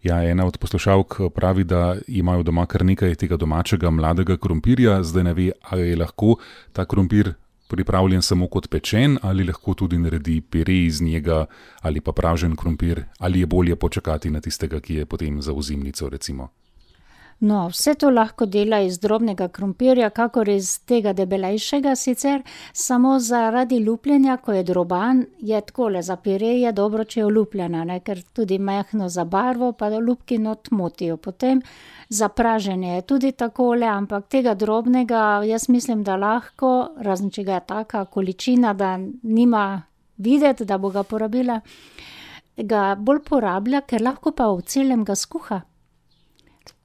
Ja, ena od poslušalk pravi, da imajo doma kar nekaj tega domačega mladega krompirja, zdaj ne ve, ali je lahko ta krompir pripravljen samo kot pečen ali lahko tudi naredi pire iz njega ali pa pražen krompir, ali je bolje počakati na tistega, ki je potem za ozimnico recimo. No, vse to lahko dela iz drobnega krompirja, kakor iz tega debelejšega sicer, samo zaradi lupljenja, ko je droban, je takole, za pire je dobro, če je olupljena, ne, ker tudi majhno za barvo, pa da lupki not motijo. Potem za praženje je tudi takole, ampak tega drobnega, jaz mislim, da lahko, razen če ga je taka količina, da nima videti, da bo ga porabila, ga bolj porablja, ker lahko pa v celem ga skuha.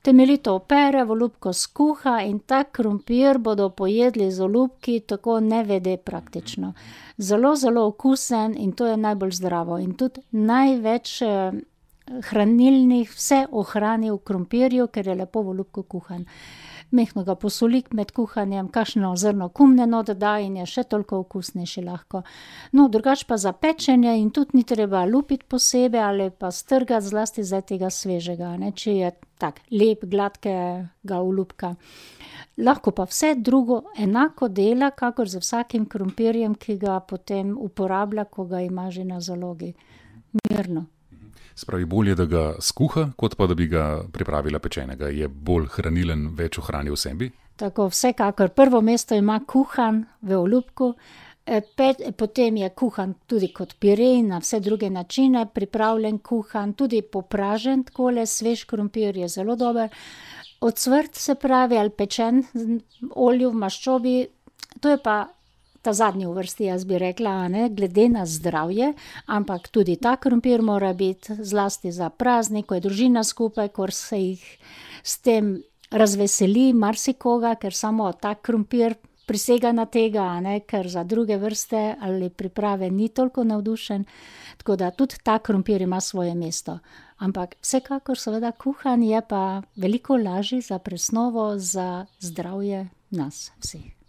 Temeljito opere, v olupko skuha in ta krompir bodo pojedli z olupki tako nevede praktično. Zelo, zelo okusen in to je najbolj zdravo. In tudi največ hranilnih vse ohrani v krompirju, ker je lepo v olupku kuhan. Mehko ga posoli med kuhanjem, kakšno zrno kumne not da in je še toliko okusnejši lahko. No, drugače pa za pečenje in tudi ni treba lupiti posebej ali pa strgati zlasti zdaj tega svežega, ne, če je tak lep, gladkega olupka. Lahko pa vse drugo enako dela, kakor z vsakim krompirjem, ki ga potem uporablja, ko ga ima že na zalogi. Mirno. Spravi, bolje, da ga skuha, kot pa da bi ga pripravila pečenega. Je bolj hranilen, več ohrani v sebi? Tako, vsekakor. Prvo mesto ima kuhan v olupku, potem je kuhan tudi kot pire na vse druge načine, pripravljen kuhan, tudi popražen takole, svež krompir je zelo dober. Ocvrt se pravi, ali pečen v olju, v maščobi, to je pa ta zadnji v vrsti, jaz bi rekla, ne, glede na zdravje, ampak tudi ta krompir mora biti zlasti za praznik, ko je družina skupaj, ko se jih s tem razveseli marsikoga, ker samo ta krompir prisega na tega, ne, ker za druge vrste ali priprave ni toliko navdušen, tako da tudi ta krompir ima svoje mesto. Ampak vsekakor seveda kuhan je pa veliko lažji za presnovo, za zdravje nas vseh.